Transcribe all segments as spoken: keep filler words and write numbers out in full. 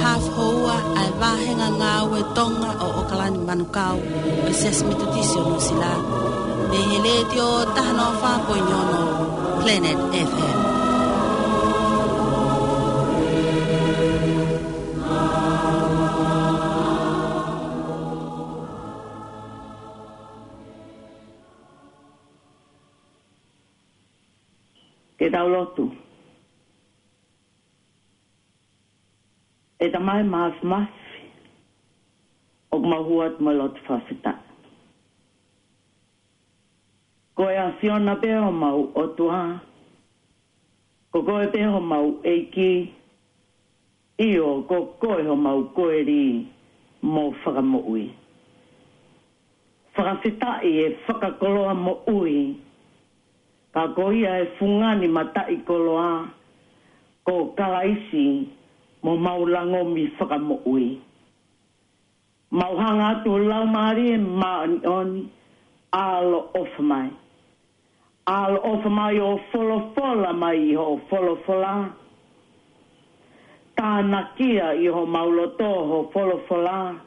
Hafu houa ʻa e vāhenga ngāue Tonga ʻo ʻOkalani Manukau ʻo e Siasi Metotisi ʻo Nuʻusila, mei he Letiō taha noa fā poini ono Planet F M. Ke tau lotu. ʻE Tamai Māfimafi, ʻoku mau hū atu mo e loto fakafetaʻi. Ko e ʻAfiona pē homau ʻOtua, ko koe pē homau ʻEiki, ʻio, ko koe homau koeli mo fakamoʻui. Fakafetaʻi e fakakoloa moʻui, ka ko ia e fungani mataʻikoloa, ko Kalaisi mo mau langomi fakamoʻui. Mau hanga atu Laumālie Māʻoniʻoni, ʻaloʻofa mai. ʻAloʻofa mai ʻo folofola mai ʻi hoʻo folofola. Tānakia ʻi homau loto ho folofola.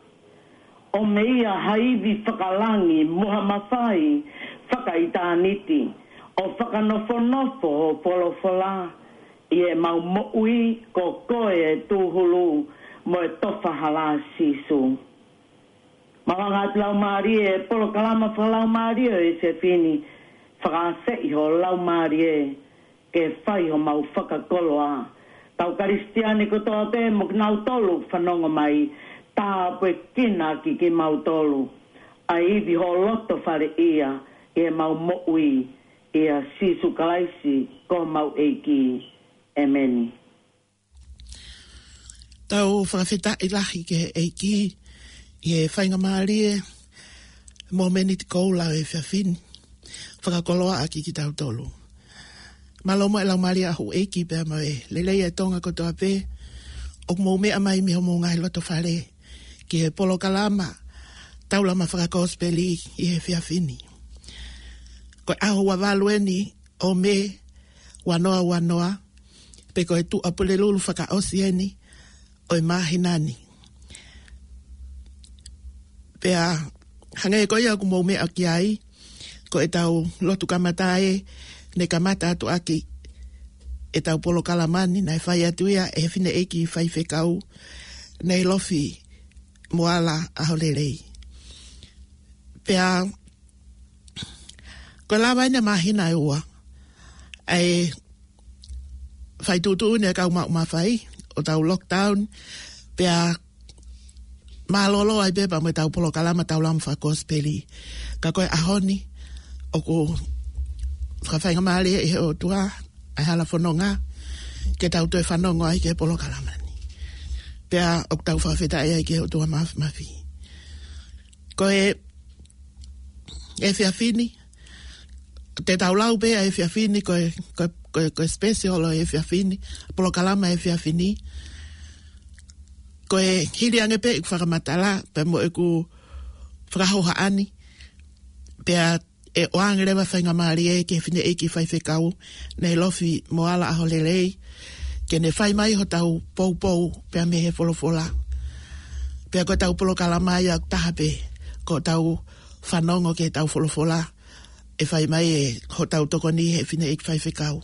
ʻO meia ha ivi fakalangi mo ha mafai fakaʻitāniti. ʻO fakanofonofo ho folofola ʻi heʻemau moʻui, ko koe e tūhulu mo e tofa hala, Sīsū. Mau hanga atu Laumālie, e polokalama fakalaumālie ʻo e efiafi ni, fakaafeʻi ho Laumālie ke fai homau fakakoloa. Kau Kalisitiane kotoa pē mo kinautolu fanongo mai, tāpuekina ʻaki kimautolu ʻa e ivi ho loto fale ia ʻi heʻemau moʻui, ʻia Sīsū Kalaisi ko homau ʻEiki. ʻEmeni. Tau fakafetaʻi lahi ki he ʻEiki ʻi he faingamālie mo e miniti koula ʻo e efiafi ni. Fakakoloa ʻaki kitautolu. Mālō mo e laumālie ʻa houʻeiki pea mo e lelei ʻa e Tonga kotoa pē ʻoku mou meʻa mai mei homou ngaahi loto fale ki he polokalama Taulama Fakakosipeli ʻi he efiafi ni. Ko e ʻaho ua valu eni ʻo Mē ua noa ua noa, pe ko e Tuʻapulelulu fakaʻosi eni ʻo e māhina ni. Pea hangē ko ia ʻoku mou meʻa ki ai, ko ʻetau lotu kamata ē, ne kamata atu ʻaki ʻetau polokalama ni, naʻe fai atu ia ʻe he fineʻeiki faifekau, Neilofi Moala ʻAholelei. Pea ko e lava eni ʻa e māhina ʻe ua ʻa e fai tuʻutuʻuni ʻa e kau maʻu mafai ʻo tau lockdown, pea mālōlō ai pē pea mo ʻetau polokalama Taulama Fakakosipeli. Ka ko e ʻaho ni, ʻoku fakafaingamālie ʻi he ʻOtua ʻa e hala fononga ke tau toe fanongo ai ki he polokalama ni. Pea ʻoku tau fakafetaʻi ai ki he ʻOtua Māfimafi. Ko e efiafi ni, te tau lau pē ʻa e efiafi ni, ko e, ko e, ko e, ko e special ʻo e efiafi ni, polokalama efiafi ni. Ko e hili ange pē ʻeku fakamatala pea mo ʻeku fakahohaʻa ni, pea ʻe ʻoange leva faingamālie ki he fineʻeiki faifekau, Neilofi Moala ʻAholelei, ke ne fai mai hotau poupou pea mei he folofola. Pea ko ʻetau polokalama ia ʻoku taha pē, ko ʻetau fanongo ki heʻetau folofola ʻe fai mai ʻe hotau tokoni he fineʻeiki faifekau.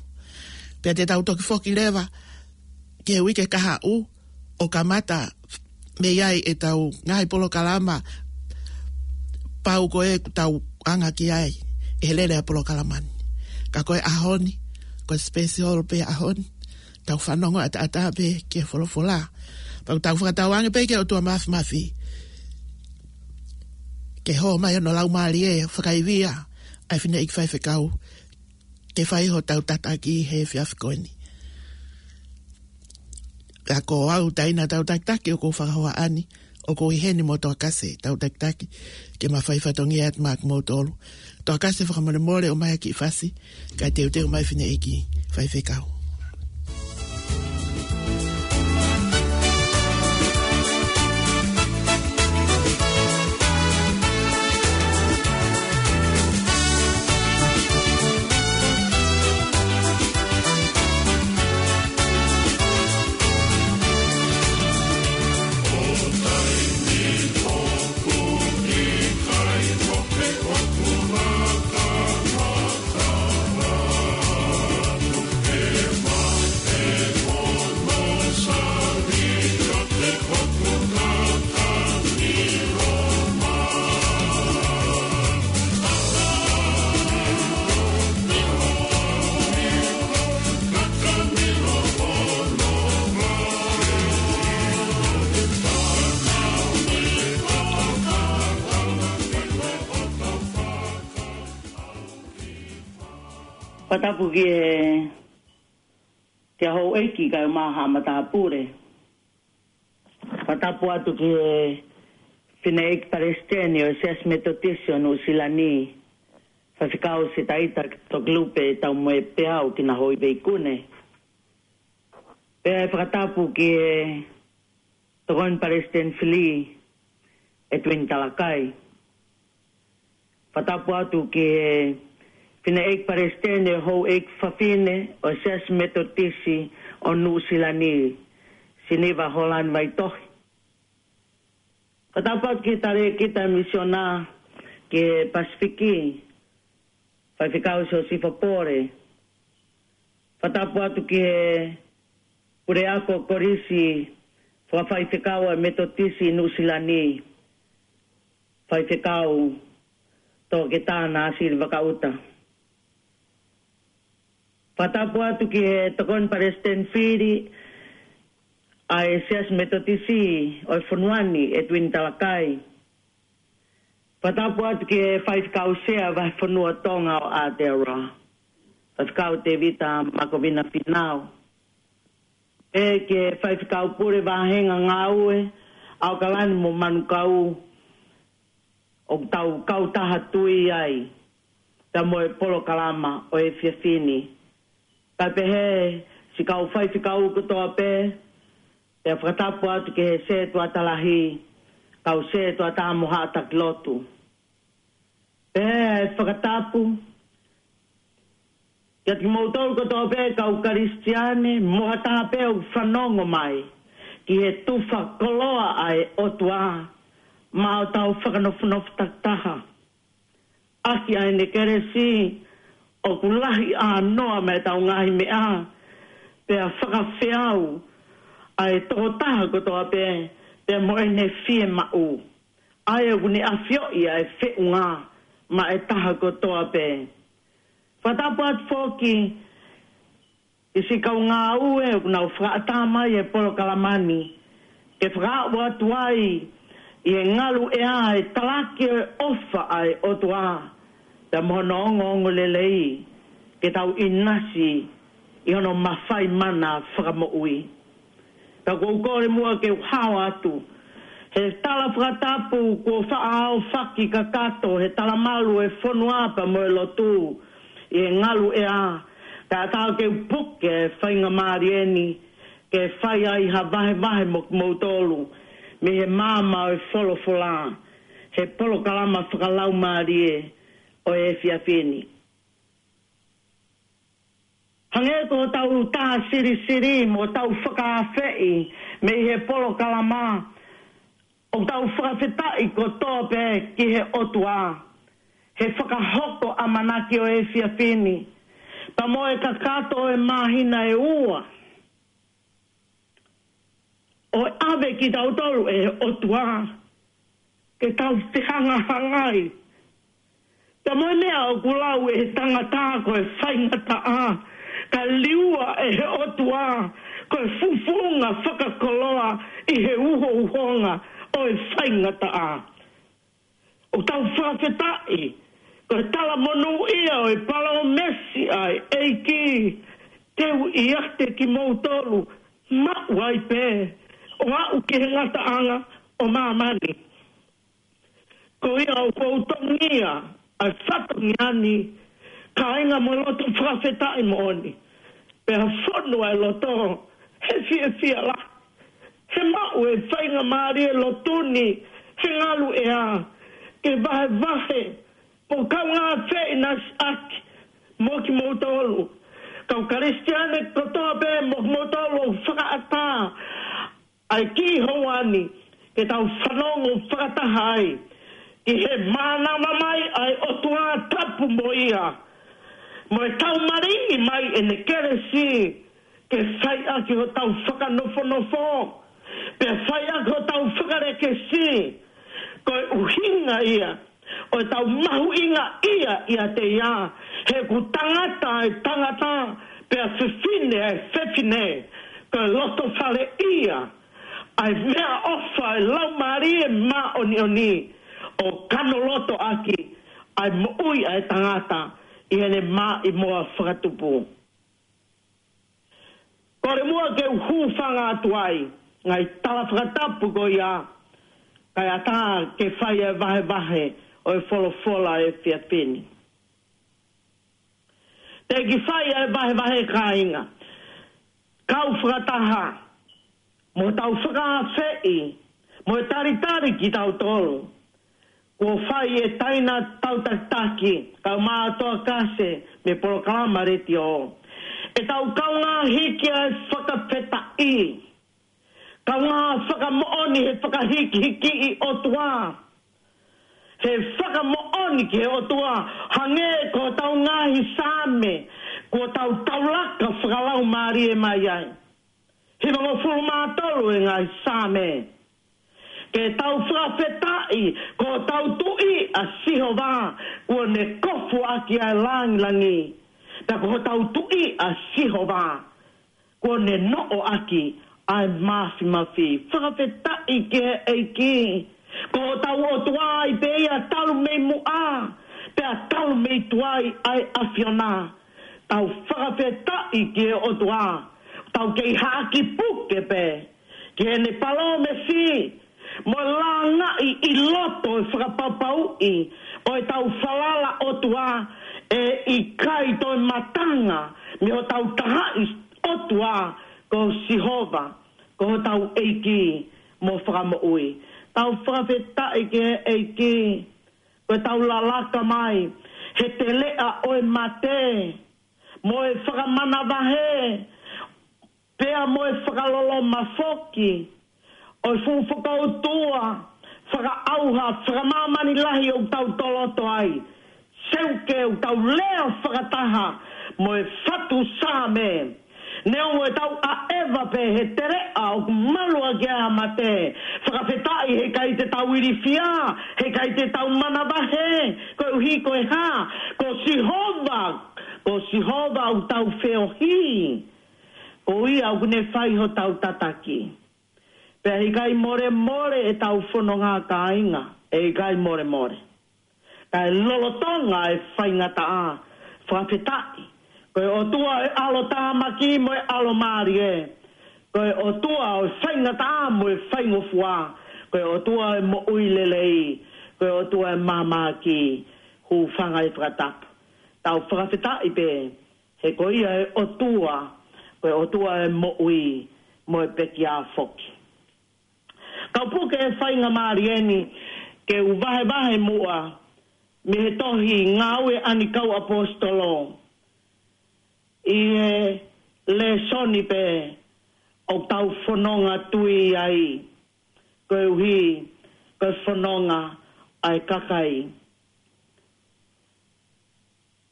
Pea te tau toki foki leva ki he uike kahaʻu ʻo kamata mei ai ʻetau ngaahi polokalama, pau ko ē ʻoku tau anga ki ai ʻi he lele ʻa e polokalama ni. Ka ko e ʻaho ni, ko e special pē ʻaho ni, tau fanongo ʻataʻatā pē ki he folofola. Pea ʻoku tau fakatauange pē ki he ʻOtua Māfimafi ke hō mai hono Laumālie ʻo fakaivia ʻa e fineʻeiki faifekau ke fai hotau tataki he efiafi ko eni. Ka ko au, taina tau takitaki ʻoku ou fakahohaʻa ni, ʻoku ou ʻi heni mo Toakase, tau takitaki ke ma fai fatongia atu maʻa kimoutolu. Toakase, fakamolemole ʻomai ha kiʻi fasi, kae teuteu mai fineʻeiki faifekau. Fakatapu ki he, ki he houʻeiki kae ʻumaʻā haʻa matāpule. Fakatapu atu ki he fineʻeiki palesiteni ʻo e Siasi Metotisi ʻo Nuʻusila ni, Faifekau Sitaita Tokelupe Taumuepeau Kinahoiveikune. Pea fakatapu ki he tokoni palesiteni fili, Edwin Talakai. Fakatapu atu ki he fineʻeiki palesiteni ʻo e houʻeiki fafine ʻo e Siasi Metotisi ʻo Nuʻusila ni, Siniva Holani Vaitohi. Fakatapu atu ki he talēkita misiona ki he Pasifiki, Faifekau Siosifa Pole. Fakatapu atu ki he puleako kolisi fakafaifekau ʻa e Metotisi Nuʻusila ni, Faifekau Toketā Nāsili Vakaʻuta. Fakatapu atu ki he tokoni palesiteni fili ʻa e Siasi Metotisi ʻo e fonua ni, Edwin Talakai. Fakatapu atu ki he faifekau sea Vahefonua Tonga ʻo Aotearoa, Faifekau Tevita Makovina Finau. Pea ki he faifekau pule vāhenga ngāue, ʻAokalani mo Manukau, ʻoku tau kautaha tui ai pea mo e polokalama ʻo e efiafi ni. Kae pehē siʻi kau faifekau kotoa pē, pea fakatapu atu ki he sētuata lahi, kau sētuata mo haʻa taki lotu. Pea fakatapu kiate kimoutolu kotoa pē kau Kalisitiane, mo ha taha pē ʻoku fanongo mai ki he tufa koloa ʻa e ʻOtua, maʻa ʻetau fakanofonofo takitaha ʻaki ʻa ʻene kelesi. ʻOku lahi ʻānoa mei heʻetau ngaahi meʻa, pea fakafeau ʻa e tokotaha kotoa pē, pea mo ʻene fiemaʻu, ʻa ia ʻoku ne ʻafioʻi ʻa e feʻunga maʻa e taha kotoa pē. Fakatapu atu foki ki siʻi kau ngāue ʻoku nau fakaʻatā mai e polokalama ni, ke fakaaʻu atu ai ʻi he ngalu ʻea e talaki ʻo e ʻofa ʻa e ʻOtua, pea mo hono ongoongolelei, ke tau ʻinasi ʻi hono mafai mana fakamoʻui. Ka ʻoku ou kole muʻa ke u hao atu he tala fakatapu kuo faʻa aofaki kakato he talamalu e fonua pea mo e lotu ʻi he ngalu ʻea, kae ʻatā ke u puke e faingamālie ni ke fai ai ha vahevahe mo kimoutolu mei he maama ʻo e folofola he polokalama fakalaumālie ʻo e efiafi ni. Hangē ko hotau tā silisili mo hotau fakaafeʻi mei he polokalama, ʻoku tau fakafetaʻi kotoa pē ki he ʻOtua he fakahoko ʻamanaki ʻo e efiafi ni, pea mo e kakato ʻo e māhina ʻe ua, ʻo ʻave kitautolu ʻe he ʻOtua ke tau fehangahangai. Pea mo e meʻa ʻoku lau ʻe he tangata ko e faingataʻa, ka liua ʻe he ʻOtua ko e fufunga fakakoloa ʻi he uhouhonga ʻo e faingataʻa. ʻOku tau fakafetaʻi ko e talamonūʻia ʻo e palōmesi ʻa e ʻEiki, te u ʻiate kimoutolu maʻu ai pē ʻo aʻu ki he ngataʻanga ʻo māmani. Ko ia ʻoku ou tongia ʻa e fatongia ni, kāinga, mo e loto fakafetaʻi moʻoni, pea fonu ʻa e loto he fiefia lahi he maʻu e faingamālie lotu ni he ngalu ʻea, ke vahevahe mo kaungā feʻinasiʻaki mo kimoutolu kau Kalisitiane kotoa pē, mo kimoutolu ʻoku fakaʻatā ʻa e kiʻi houa ni ke tau fanongo fakataha ai ki he mānava mai ʻa e ʻOtua tapu mo ia, mo e taumaliʻi mai ʻene kelesi, ke fai ʻaki hotau fakanofonofo, pea fai ʻaki hotau fakalekesi. Ko e ʻuhinga ia ʻo ʻetau mahuʻingaʻia ʻiate ia, he ʻoku tangata ʻa e tangata, pea fefine ʻa e fefine, ko e loto faleʻia ʻa e meʻaʻofa ʻa e Laumālie Māʻoniʻoni, ʻo kanolotoʻaki ʻa e moʻui ʻa e tangata ʻi heʻene maʻimoa fakatupu. Kole muʻa ke u hūfanga atu ai, ngaahi tala fakatapu ko ia, kae ʻatā ke fai e vahevahe ʻo e folofola ʻo e efiafi ni. Te ki fai e vahevahe kāinga, kau fakataha, mo tau fakaafeʻi, mo e talitali kitautolu. Kuo fai e taina tautakitaki, kau mātoa kase, mei he polokalama letiō. ʻE tau kaungā hiki ʻa e fakafetaʻi. Kaungā fakamoʻoni he fakahikihiki ʻi ʻOtua. He fakamoʻoni ki he ʻOtua, hangē ko hotau ngaahi Saame, kuo tau taulaka fakalaumālie mai ai. Hivangofulu mā tolu e ngaahi Saame. Ke tau fakafetaʻi, ko hotau Tuʻi ʻa Sihova, kuo ne kofu ʻaki ʻa e langilangi. Pea ko hotau Tuʻi ʻa Sihova, kuo ne noʻo ʻaki ʻa e mafimafi. Fakafetaʻi ki he ʻEiki. Ko hotau ʻOtua ai pē ia talu mei muʻa, pea talu mei tuai ʻa e ʻAfiona. Tau fakafetaʻi ki he ʻOtua. Tau kei haʻaki puke pē ki heʻene palōmesi, mo e langaʻi ʻi loto e fakapapauʻi ʻo e tau falala ʻOtua, ʻe ʻikai toe matanga mei hotau tahaʻi ʻOtua, ko Sihova, ko hotau ʻEiki mo Fakamoʻui. Tau fakafetaʻi ki he ʻEiki, ko e tau lalaka mai he teleʻa ʻo e mate, mo e fakamanavahē, pea mo e fakaloloma foki ʻo e fuʻu fakautua, fakaʻauha, fakamāmani lahi ʻoku tau toloto ai. Seuke ʻoku tau lea fakataha mo e fatu Saame. Neongo ʻetau ʻaʻeva pē he teleʻa ʻoku malu ʻaki ʻa e mate, fakafetaʻi he ʻikai te tau ilifia, he ʻikai te tau manavahē, koeʻuhi ko e hā, ko Sihova, ko Sihova ʻoku tau feohi. Ko ia ʻoku ne fai hotau tataki. Pea ʻikai molemole ʻetau fononga kāinga, ʻe ʻikai molemole. Kae lolotonga e faingataʻa, fakafetaʻi. Ko e ʻOtua ʻo e ʻalotāmaki mo e ʻalomālie. Ko e ʻOtua ʻo e faingataʻa mo e faingofua. Ko e ʻOtua ʻo e moʻui lelei. Ko e ʻOtua ʻo e māmāki. Hūfanga he fakatapu. Tau fakafetaʻi pē. He ko ia e ʻOtua, ko e ʻOtua ʻo e moʻui mo e pekia foki. Kau puke e faingamālie ni ke u vahevahe muʻa mei he tohi Ngāue ʻa e Kau ʻAposetolo. ʻI he lēsoni pē ʻoku tau fononga tui ai, koeʻuhi ko e fononga ʻa e kakai.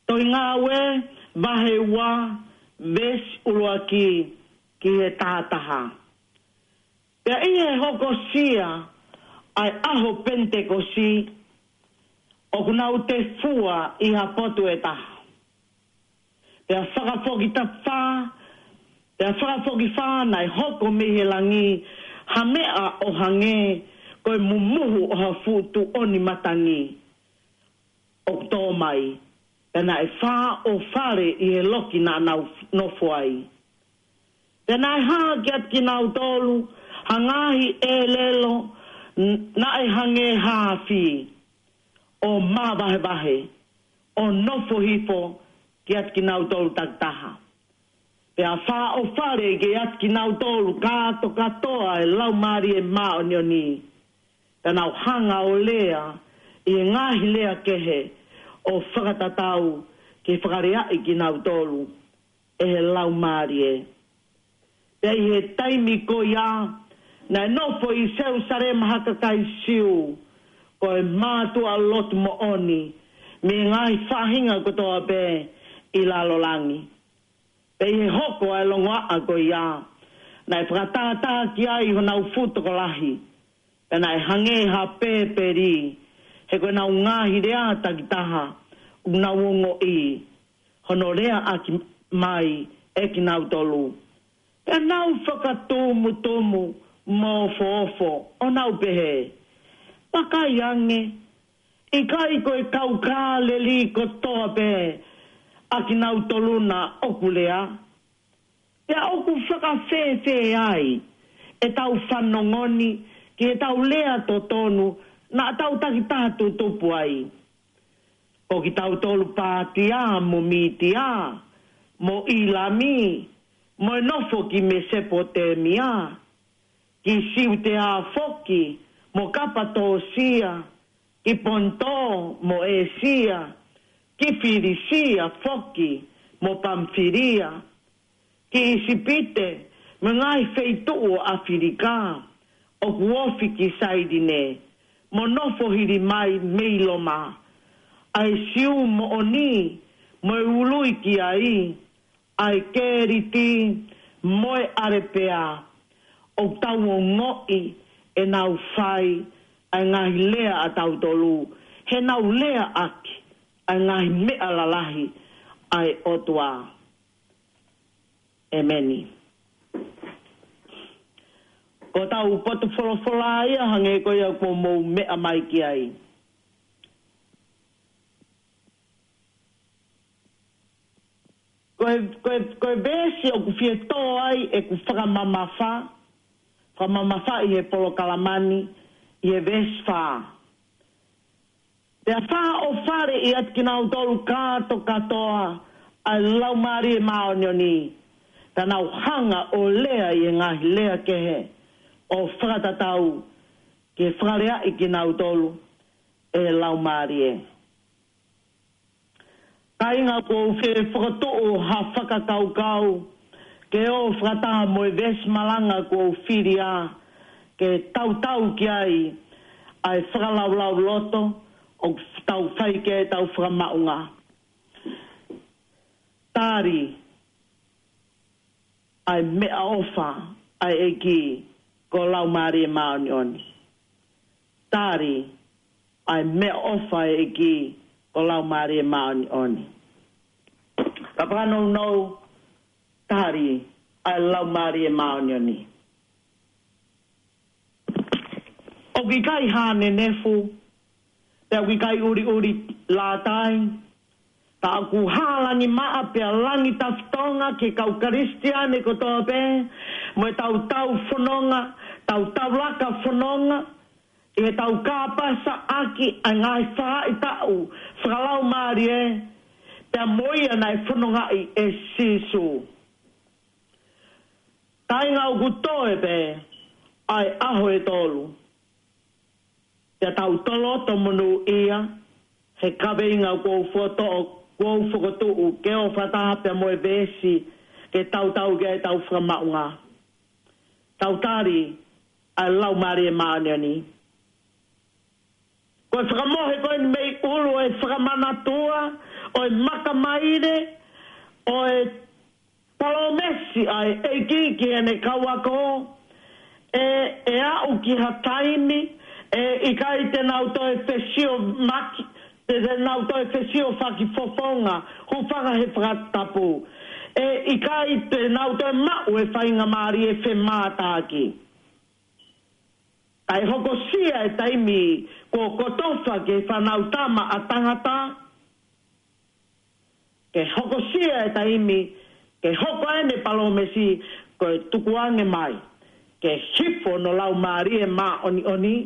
Tohi Ngāue, vahe ua, veesi ʻuluaki ki he taha taha. Pea ʻi he hokosia ʻa e ʻaho Penitekosi, ʻoku nau tefua ʻi ha potu ʻe taha. Pea fakafokifā, pea fakafokifā naʻe hoko mei he langi ha meʻa ʻo hangē ko e mumuhu ʻo ha fuʻu tuʻoni matangi ʻoku tō mai, pea naʻe fāʻofale ʻi he loki naʻa nau nofo ai. Pea naʻe hā kiate kinautolu ha ngaahi ʻelelo n-, naʻe hangē ha afi, ʻo māvahevahe, ʻo nofo hifo kiate kinautolu takitaha. Pea fāʻofale kiate kinautolu kātokātoa e Laumālie Māʻoniʻoni. Pea nau hanga ʻo lea ʻi he ngaahi lea kehe ʻo fakatatau ke fakaleaʻi kinautolu ʻe he Laumālie. Pea ʻi he taimi ko ia, naʻe nofo ʻi Selusalema ha kakai Siu, ko e mātuʻa lotu moʻoni, mei he ngaahi faʻahinga kotoa pē ʻi lalo langi. Pea ʻi he hoko ʻa e longoaʻa ko ia, naʻe fakatātā ki ai honau fuʻu tokolahi, pea naʻe hangē ha pēpeli, he ko ʻenau ngaahi lea takitaha, ʻoku nau ongoʻi, hono leaʻaki mai ʻe kinautolu. Pea nau fakatumutumu mo ofoofo, ʻo nau pehē, Vakai ange, ʻikai ko e kau Kāleli kotoa pē, ʻa kinautolu naʻa ʻoku lea? Pea ʻoku fakafēfē ai ʻetau fanongo ni ki heʻetau lea totonu naʻa tau takitaha tutupu ai? Ko kitautolu Pātia mo Mītia, mo ʻIlami, mo e nofo ki Mesopotemia, ki Siutea foki, mo Kapatōsia, ki Ponto, mo ʻĒsia, ki Filisia foki, mo Pamfilia, ki ʻIsipite, mo e ngaahi feituʻu ʻo ʻAfilika, ʻoku ofi ki Sailini, mo nofo hili mai mei Loma, ʻa e Siu moʻoni, mo e ului ki ai, ʻa e Keliti, mo e ʻAlepea, ʻoku tau ongoʻi ʻenau fai ʻa e ngaahi lea ʻatautolu, heʻenau lea ʻaki ʻa e ngaahi meʻa lalahi ʻa e ʻOtua. ʻEmeni. Ko ʻetau potu folofola ia hangē ko ia kuo mou meʻa mai ki ai. Ko e, ko e, ko e veesi ʻoku fie tō ai ʻeku fakamamafa, fakamamafa ʻi he polokalama ni, ʻi he veesi fā. Pea fakaʻofa ʻiate kinautolu kāto kātoa ʻa e Laumālie Māʻoniʻoni, ka nau hanga ʻo lea ʻi he ngaahi lea kehe ʻo fakatatau ke fakaleaʻi kinautolu ʻe he Laumālie. Kāinga, ʻoku ou fie fokotuʻu ha fakakaukau ke ō fakataha mo e veesi malanga kuo u fili ā, ke tautau ki ai ʻa e fakalaulauloto ʻoku tau fai ki ai ʻetau fakamaʻunga. Tali ʻa e meʻaʻofa ʻa e ʻEiki ko e Laumālie Māʻoniʻoni. Tali ʻa e meʻaʻofa ʻa e ʻEiki ko e Laumālie Māʻoniʻoni. Ka fakanounou, tali ʻa e Laumālie Māʻoniʻoni. ʻOku ʻikai hānenefu, pea ʻoku ʻikai ʻuliʻuli lātai, ka ʻoku hā langi maʻa pea langi tafitonga ki he kau Kalisitiane kotoa pē, mo ʻetau tau fononga, tau tau laka fononga, ʻi heʻetau kāpasa ʻaki ʻa e ngaahi faʻahitaʻu fakalaumālie, pea mo ia naʻe fonongaʻi ʻe Sīsū. Kāinga, ʻoku toe pē ʻa e ʻaho ʻe tolu. Pea tau toloto monūʻia he kaveinga kuo u fokotuʻu, kuo u fokotuʻu ke ō fakataha pea mo e veesi ke tautau ki ai ʻetau fakamaʻunga. Tau tali ʻa e Laumālie Māʻoniʻoni. Ko e fakamohe ko eni mei ʻulu ʻo e fakamanatua, ʻo e makamaile, ʻo e palōmesi ʻa e ʻEiki ki heʻene kau ako, ʻe, ʻe aʻu ki ha taimi ʻe ʻikai te nau toe fesiofaki, te, te nau toe fesiofaki fofonga, hūfanga he fakatapu. ʻE ʻikai te nau toe maʻu e faingamālie femātaaki. Kae hokosia e taimi kuo kotofa ki he Fānautama ʻa Tangata, ke hokosia e taimi ke hoko ai ʻene palōmesi, ko e tukuange mai ke hifo hono Laumālie Māʻoniʻoni,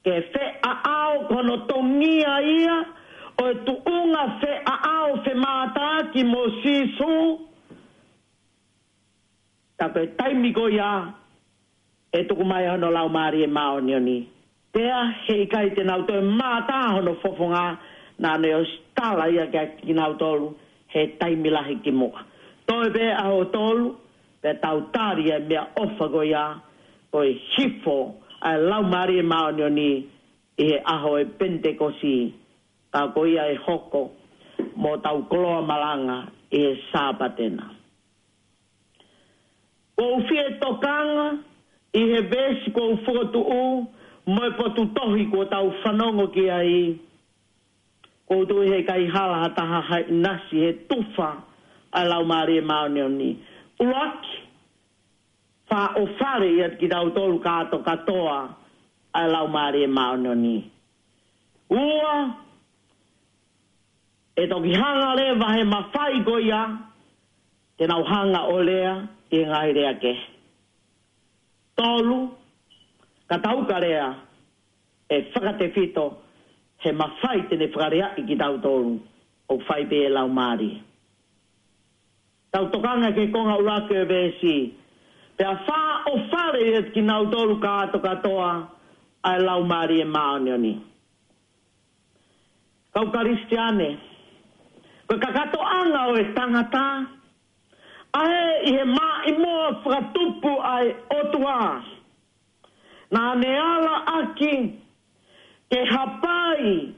ke feʻaʻao, ko hono tongia ia ʻo e tuʻunga feʻaʻao femātaaki mo Sīsū. Ka ko e taimi ko ia ʻe tuku mai hono Laumālie Māʻoniʻoni. Pea he ʻikai te nau toe mātā hono fofonga, naʻa ne ʻosi tala ia kiate kinautolu he taimi lahi kimuʻa. Toe pē ʻaho ʻe tolu, pea tau tali ʻa e meʻaʻofa ko ia, ko e hifo ʻa e Laumālie Māʻoniʻoni ʻi he ʻaho ʻo e Penitekosi, ka ko ia ʻe hoko mo ʻetau koloa malanga ʻi he Sāpate na. Ko u fie tokanga ʻi he veesi ko u fokotuʻu mo e potu tohi ko tau fanongo ki ai. Ko u tui he ʻikai hala ha taha ha ʻinasi he tufa ʻa e Laumālie Māʻoniʻoni. ʻUluaki, fakaʻofa ʻiate kitautolu kāto kātoa ʻa e Laumālie Māʻoniʻoni. Ua, ʻE toki hanga leva he mafai ko ia ke nau hanga ʻo lea ʻi he ngaahi lea kehe. Tolu, ka tau ka lea ʻe fakatefito he mafai te ne fakaleaʻi kitautolu ʻoku fai pē ʻe he Laumālie. Tau tokanga ki he konga ʻuluaki ʻo e veesi. Pea fāʻofale ʻiate kinautolu kātokātoa ʻa e Laumālie Māʻoniʻoni. Kau Kalisitiane, ko e kakatoʻanga ʻo e tangata, ʻa ē ʻi he maʻimoa fakatupu ʻa e ʻOtua, naʻa ne ala ʻaki ke hapai,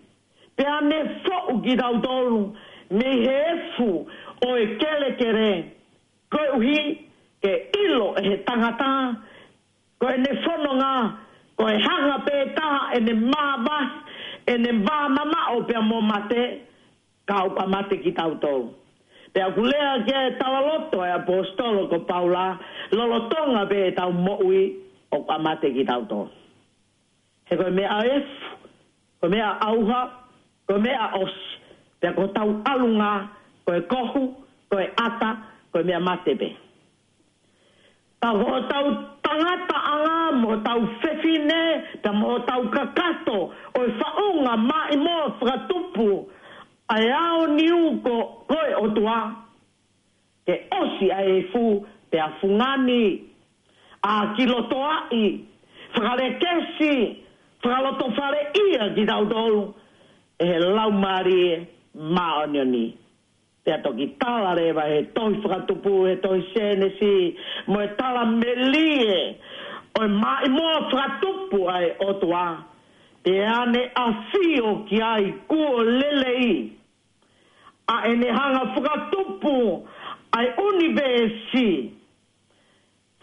pea ne foʻu kitautolu mei he efu ʻo e kelekele, koeʻuhi ke ʻilo ʻe he tangata ko ʻene fononga, ko e hanga pē taha ʻene māvahi, ʻene vāmamaʻo pea mo mate, ka ʻoku ʻa mate kitautolu. Pea ʻoku lea ki ai e talaloto ʻa e ʻaposetolo ko Paula, lolotonga pē ʻetau moʻui ʻoku ʻa mate kitautolu. He ko e meʻa efu, ko e meʻa ʻauha, ko e meʻa ʻosi, pea ko hotau ʻalunga, ko e kohu, ko e ʻata, ko e meʻa mate pē. Ka ko hotau tangataʻanga mo hotau fefine, pea mo hotau kakato, ʻo e faʻunga maʻimoa fakatupu ʻa e aoniu ko, ko e ʻOtua, ke ʻosi ʻa e efu pea fungani, ʻākilotoaʻi, fakalekesi, fakalotofaleʻia kitautolu ʻe he Laumālie Māʻoniʻoni. Pea toki tala leva he tohi Fakatupu, he tohi Sēnesi, mo e tala melie ʻo e maʻimoa fakatupu ʻa e ʻOtua, pea ne ʻafio ki ai kuo lelei, ʻa ʻene hanga fakatupu ʻa e ʻunivēsi,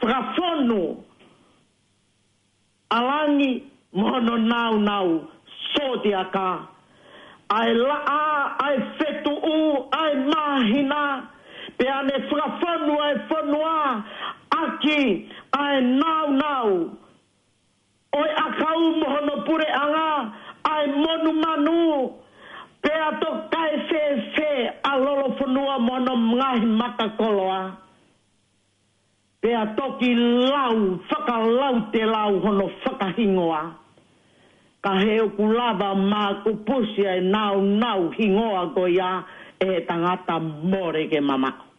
fakafonu ʻa langi mo hono nāunau, sōtiaka, ʻa e laʻā, ʻa e fetuʻu, ʻa e māhina, pea ne fakafonu ʻa e fonua ʻaki ʻa e nāunau ʻo e ʻakau mo hono puleʻanga, ʻa e monumanu, pea toki kae fēfē ʻa Lolofonua mo hono ngaahi maka koloa. Pea toki lau, fakalautelau hono fakahingoa. Ka he ʻoku lava makupusi ʻa e nāunau hingoa ko ia ʻe he tangata mole ke mamaʻo.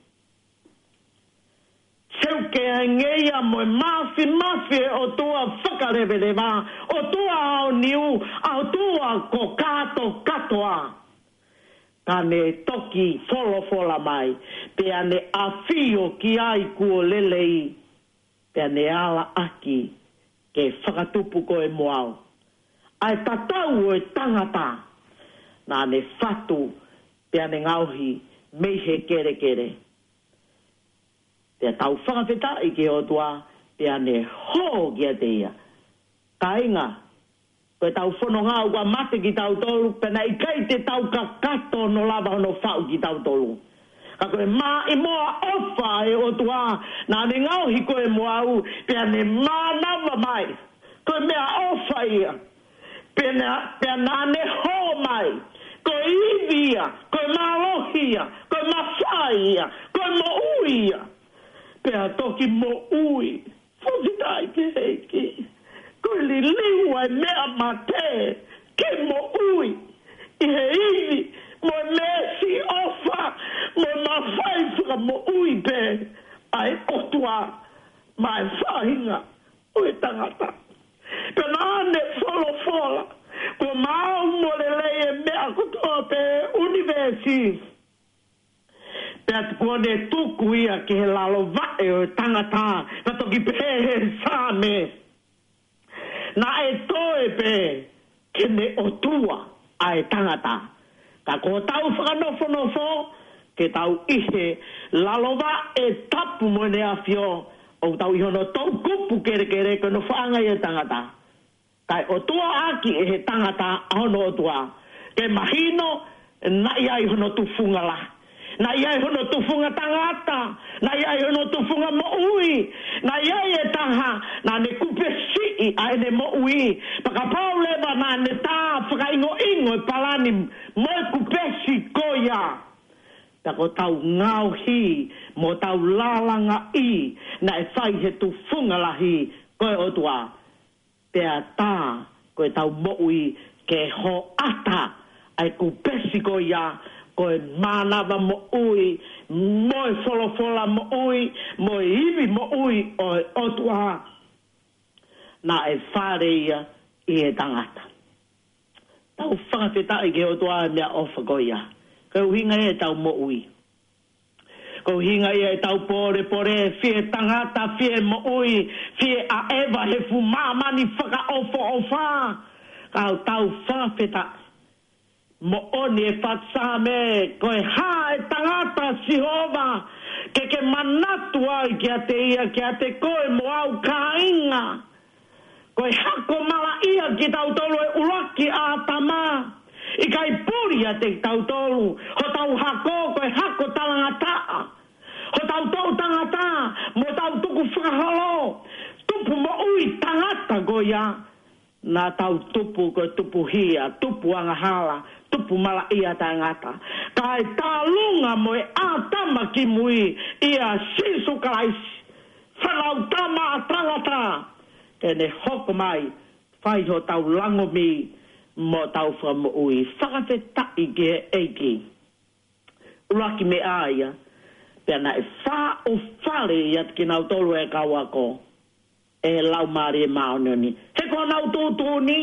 Seuke ange ia mo e mafimafi ʻe ʻOtua fakaleveleva, ʻOtua aoniu, ʻa ʻOtua ko kātokātoa. Ka ne toki folofola mai, pea ne ʻafio ki ai kuo lelei, pea ne ala ʻaki ke fakatupu koe mo au ʻa e tatau ʻo e tangata naʻa ne fatu, pea ne ngaohi mei he kelekele. Pea tau fakafetaʻi ki he ʻOtua, pea ne hō kiate ia. Kāinga, ko ʻetau fononga ʻoku ʻa mate kitautolu, pea naʻe ʻikai te tau kakato hono lava hono faʻu kitautolu. Ka ko e maʻimoa ʻofa ʻa e ʻOtua, naʻa ne ngaohi koe mo au, pea ne mānava mai. Ko e meʻaʻofa ia. Pea na, pea naʻa ne hō mai. Ko e ivi ia, ko e mālohi ia, ko e mafai ia, ko e moʻui ia. Pea toki moʻui. Fakafetaʻi ki he ʻEiki. Ko e liliu ʻa e meʻa mate ke moʻui ʻi he ivi mo e meesi ʻofa mo e mafai fakamoʻui pē ʻa e ʻOtua maʻa e faʻahinga ʻo e tangata. Pea naʻa ne folofola, kuo maau mo lelei e meʻa kotoa pē ʻunivēsi. Pea kuo ne tuku ia ki he lalo vaʻe ʻo e tangata, naʻe toki pehē he Saame, naʻe toe pē ke ne ʻOtua ʻa e tangata. Ka ko hotau fakanofonofo, ke tau ʻi he lalo vaʻe tapu mo ʻene ʻafio, ʻoku tau ʻi hono toʻukupu kelekele ko e nofoʻanga ia ʻo e tangata. Kae ʻotua ʻaki ʻe he tangata ʻa hono ʻOtua. Ke mahino, naʻe ʻi ai hono tufunga lahi. Naʻe ʻi ai hono tufunga tangata. Naʻe ʻi ai hono tufunga moʻui. Naʻe ʻi ai e taha, naʻa ne kupesiʻi ʻa ʻene moʻui. Pea kapau leva naʻa ne tā fakaʻingoʻingo e palani mo e kupesi ko ia Pea ko ʻetau ngaohi mo ʻetau lālangaʻi naʻe fai he tufunga lahi ko e ʻOtua. Pea tā ko ʻetau moʻui ke hoʻata ʻa e kupesi ko ia, ko e mānava moʻui, mo e folofola moʻui, mo e ivi moʻui ʻo e ʻOtua. Naʻe fale ia ʻi he tangata. Tau fakafetaʻi ki he ʻOtua he meʻaʻofa ko ia. Ko e ʻuhinga ia ʻetau moʻui. Ko e ʻuhinga ia ʻetau pōlepole, fie tangata, fie moʻui, fie ʻaʻeva he fuʻu māmani fakaʻofoʻofa. Ka ʻoku tau fakafetaʻi. Moʻoni e faʻu Saame, ko e hā e tangata, Sihova, ke ke manatu ai kiate ia, kiate koe mo au kāinga. Ko e hako malaʻia kitautolu ʻe ʻuluaki ʻĀtama. ʻIkai puli ʻiate kitautolu hotau hako, ko e hako talangataʻa. Hotau toʻu tangata, mo hotau tukufakaholo. Tupu moʻui tangata ko ia. Naʻa tau tupu ko e tupu hia, tupu angahala, tupu malaʻia taʻengata. Kae tālunga mo e ʻĀtama kimui ʻia Sīsū Kalaisi. Fānau tama ʻa tangata, ke ne hoko mai, fai hotau langomi mo hotau fakamoʻui. Fakafetaʻi ki he ʻEiki. ʻUluaki meʻa ia, pea naʻe faʻo fale ia kinautolu e kau ako, ʻe he Laumālie Māʻoniʻoni. He ko honau tuʻutuʻuni,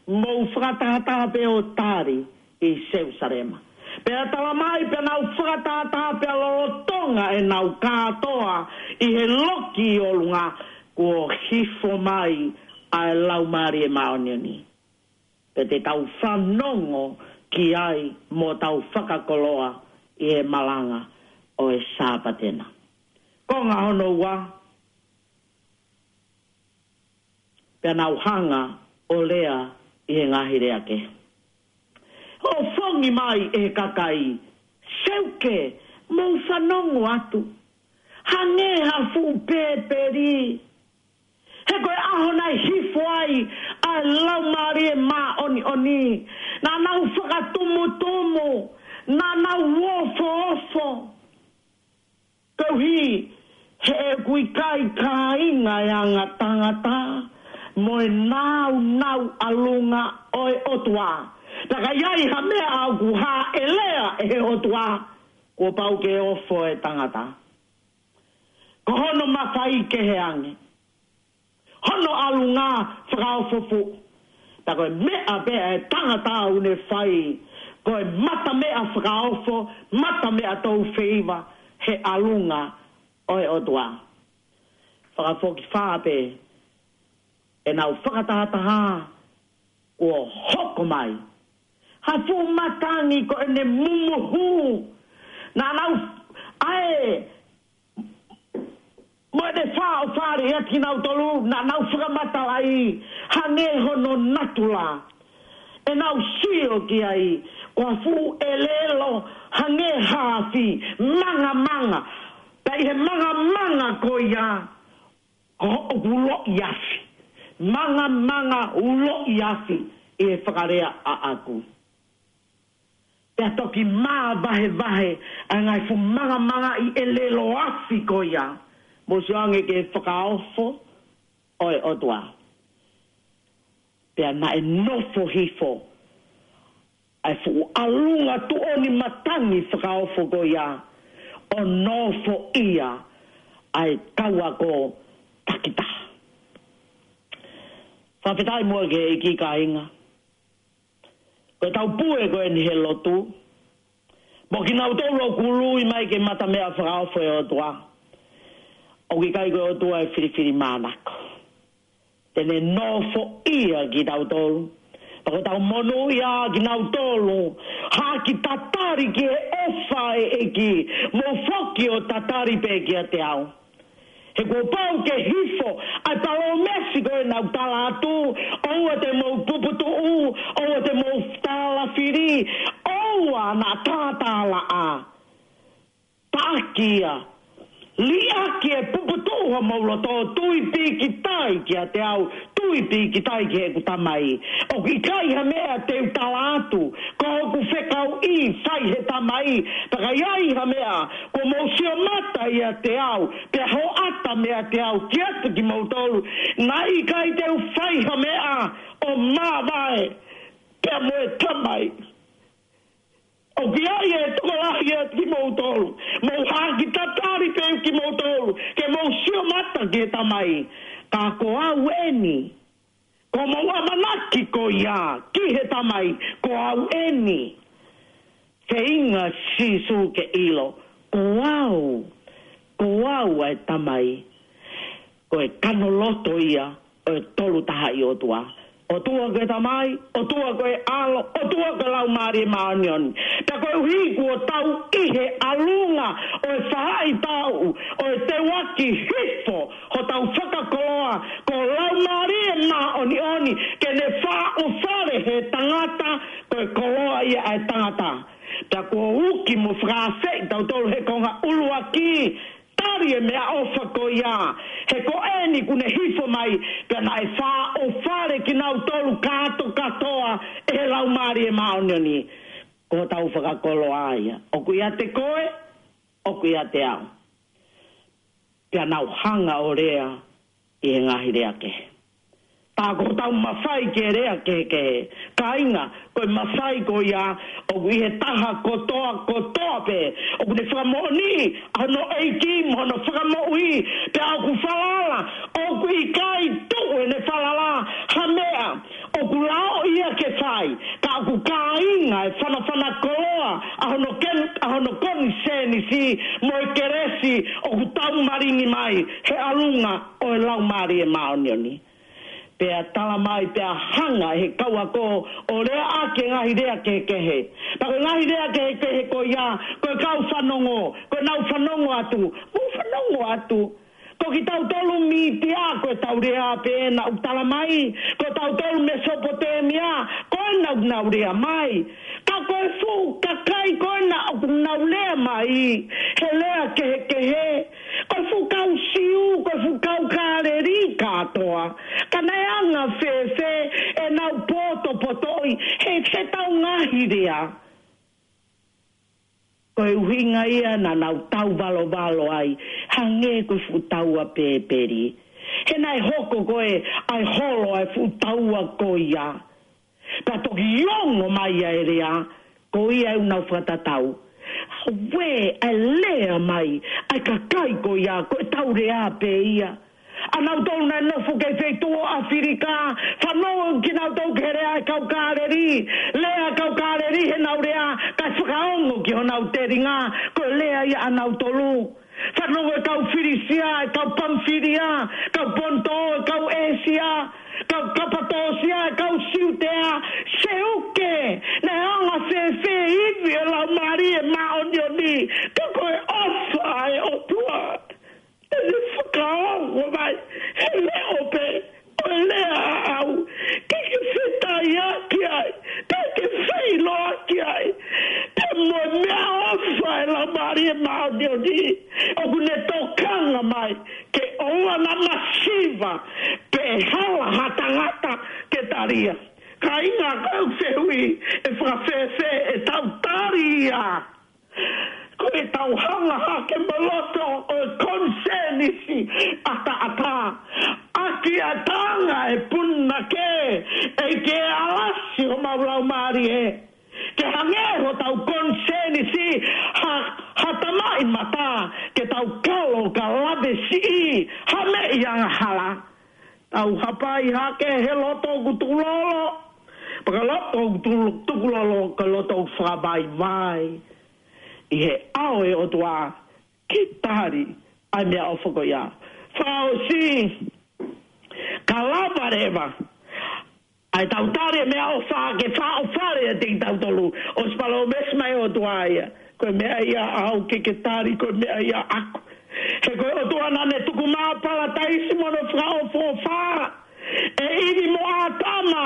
mou fakatahataha pē ʻo tali ʻi Selūsalema. Pea tala mai pea nau fakatahataha pea lolotonga ʻenau kātoa ʻi he loki ʻi ʻolunga, kuo hifo mai ʻa e Laumālie Māʻoniʻoni. Pea te tau fanongo ki ai mo tau fakakoloa ʻi he malanga ʻo e Sāpate na. Konga hono ua, pea nau hanga ʻo lea ʻi he ngaahi lea kehe. ʻO fongi mai e kakai, Seuke, mou fanongo atu. Hangē ha fuʻu pēpeli. He ko e ʻaho naʻe hifo ai ʻa e Laumālie Māʻoniʻoni. Naʻa nau fakatumutumu, naʻa nau ofoofo. Koeʻuhi, he ʻoku ʻikai kāinga e anga tangata, mo e nāunau ʻalunga ʻo e ʻOtua. Pea ka ʻi ai ha meʻa ʻoku hāʻelea ʻe he ʻOtua, kuo pau ke ofo e tangata. Ko hono mafai kehe ange. Hono ʻalunga fakaofo fuʻu. Pea ko e meʻa pē ʻa e tangata ʻoku ne fai, ko e mata meʻa fakaofo, mata meʻa tau feiva, he ʻalunga ʻo e ʻOtua. Fakafokifā pē, ʻenau fakatahataha, kuo hoko mai ha fuʻu matangi ko ʻene mumuhu. Naʻa nau, ʻa e, mo ʻene faʻo fale ia kinautolu, naʻa nau fakamatalaʻi, hangē hono natula. ʻEnau sio ki ai, ko ha fuʻu ʻelelo, hangē ha afi, mangamanga. Pea ʻi he mangamanga ko ia, ko hoʻo uloʻi afi. Mangamanga uloʻi afi ʻi he fakalea ʻaʻaku. Pea toki māvahevahe ʻa e ngaahi fuʻu mangamangaʻi ʻelelo afi ko ia. Mou sio ange ki he fakaofo ʻo e ʻOtua. Pea naʻe nofo hifo ʻa e fuʻu ʻalunga tuʻoni matangi fakaofo ko ia, ʻo nofoʻia ʻa e kau ako takitaha. Fakafetaʻi muʻa ki he ʻEiki kāinga. Ko e taupue ko eni he lotu. Mo kinautolu ʻoku ului mai ki he mata meʻa fakaofo ʻo e ʻOtua. ʻOku ʻikai ko e ʻOtua ʻe filifilimānako. Te ne nofoʻia kitautolu. Pea ko ʻetau monūʻia kinautolu. Haki tatali ki he ʻofa ʻa e ʻEiki. Mou foki ʻo tatali pē kiate au. He kuo pau ke hifo ʻa e palōmesi ko ē naʻa ku tala atu, ʻoua te mou puputuʻu, ʻoua te mou tālafili, ʻoua naʻa tātālaʻa. Taʻaki ia, liʻaki e puputuʻu homou loto, tui pīkitai kiate au, tui pīkitai ki heʻeku Tamai. ʻOku ʻikai ha meʻa te u tala atu, ko hoku fekauʻi fai he Tamai, pea ka ʻi ai ha meʻa, kuo mou sio mata ʻiate au, pea hoʻata meiate au kiate kimoutolu, naʻe ʻikai te u fai ha meʻa ʻo māvae pea mo e Tamai. ʻOku ʻi ai e tokolahi ʻiate kimoutolu, mou haki tatali pē kimoutolu, ke mou sio mata ki he Tamai. Ka ko au eni, ko hoʻomou ʻamanaki ko ia ki he Tamai, ko au eni. Feinga Sīsū ke ʻilo, ko au, ko au ʻa e Tamai. Ko e kano loto ia ʻo e Tolu Tahaʻi ʻOtua. ʻOtua ko e Tamai, ʻOtua ko e ʻAlo, ʻOtua ko e Laumālie Māʻoniʻoni. Pea koeʻuhi kuo tau ʻi he ʻalunga ʻo e faʻahitaʻu ʻo e teuaki hifo hotau fakakoloa, ko e Laumālie Māʻoniʻoni, ke ne faʻofale he tangata, ko e koloa ia ʻa e tangata. Pea kuo uki mo fakaafeʻi tautolu he konga ʻuluaki, tali e meʻaʻofa ko ia, he ko eni kuo ne hifo mai, pea naʻe faʻofale kinautolu kātokātoa ʻe he Laumālie Māʻoniʻoni. Ko hotau fakakoloa ia. ʻOku ʻiate koe, ʻoku ʻiate au. Pea nau hanga ʻo lea ʻi he ngaahi lea kehe. Tā ko hotau mafai ke lea kehekehe. Kāinga, ko e mafai ko ia, ʻoku ʻi he taha kotoa, kotoa pē. ʻOku ne fakamoʻoniʻi ʻa hono ʻEiki mo hono fakamoʻui, pea ʻoku falala, ʻoku ʻikai tuʻu ʻene falala ha meʻa ʻoku lao ia ke fai, ka ʻoku kāinga e fanafana koloa ʻa hono ken-, ʻa hono konisēnisi mo e kelesi ʻoku taumalingi mai he ʻalunga ʻo e Laumālie Māʻoniʻoni. Pea tala mai, pea hanga he kau ako ʻo lea ʻaki e ngaahi lea kehekehe. Pea ko e ngaahi lea kehekehe ko ia, ko e kau fanongo, ko ʻenau fanongo atu, mou fanongo atu. Ko kitautolu mītia, ko ʻetau lea pē ena ʻoku tala mai, ko tautolu Mesopotemia, ko ena ʻoku nau lea mai. Ka ko e fuʻu kakai ko ena ʻoku nau lea mai he lea kehekehe, ko e fuʻu kau Siu, ko e fuʻu kau Kāleli kātoa. Ka naʻe anga fēfē ʻenau potopotoʻi he, heʻetau ngaahi lea? Ko e ʻuhinga ia naʻa nau tauvalovalo ai, hangē ko e fuʻu taua pēpeli. He naʻe hoko ko ē ʻa e holo ʻa e fuʻu taua ko ia. Pea toki ongo mai ʻa e lea, ko ia ʻoku nau fakatatau. Uē, ʻa e lea mai ʻa e kakai ko ia, ko ʻetau lea pē ia. ʻA nautolu naʻe nofo ki he feituʻu ʻo ʻAfilika, fanongo kinautolu ki he lea ʻa e kau Kāleli, lea ʻa e kau Kāleli heʻenau lea, kae fakaongo ki honau telinga, ko e lea ia ʻa nautolu. Fanongo e kau Filisia, e kau Pamfilia, kau Ponto, e kau ʻĒsia, kau Kapatōsia, e kau Siutea, Seuke, naʻe anga fēfē ivi ʻo e Laumālie Māʻoniʻoni, ka ko e ʻofa ʻa e ʻOtua. Te ne fakaongo mai, he leʻo pē ʻo e lea ʻaʻau, ke ke fetaiaki ai, pea ke feʻiloaki ai, pea mo e meʻaʻofa ʻa e Laumālie Māʻoniʻoni, ʻoku ne tokanga mai, ke ʻoua naʻa masiva, pe hala ha tangata ke tali ia. Kāinga, ko e fehuʻi, ʻe fakafēfē ʻetau tali ia? Ko ʻetau hanga hake mo loto ʻo e konisēnisi ʻataʻatā. ʻAki ʻa e tanga ʻe punake, ʻEiki ʻe alasi homau laumālie. Ke hangē hotau konisēnisi ha, ha tamaʻimata, ke tau kalo ka lave siʻi ha meʻi angahala. Tau hapai hake he loto ʻoku tukulolo. Pea ka loto ʻoku tu-, tukulolo, ka loto ʻoku fakavaivai ʻi he ʻao ʻo e ʻOtua ke tali ʻa e meʻaʻofa ko ia. Fakaʻosi, ka lava leva ʻa ʻetau tali e meʻaʻofa ke fakaʻofa leva kiate kitautolu. ʻOsi palōmesi mai e ʻOtua ia, ko e meʻa ia ʻaʻau ke ke tali, ko e meʻa ia ʻaʻaku. He ko e ʻOtua naʻa ne tuku mai ʻa Palataisi mo hono fakaʻofoʻofa. ʻE ʻIvi mo ʻĀtama,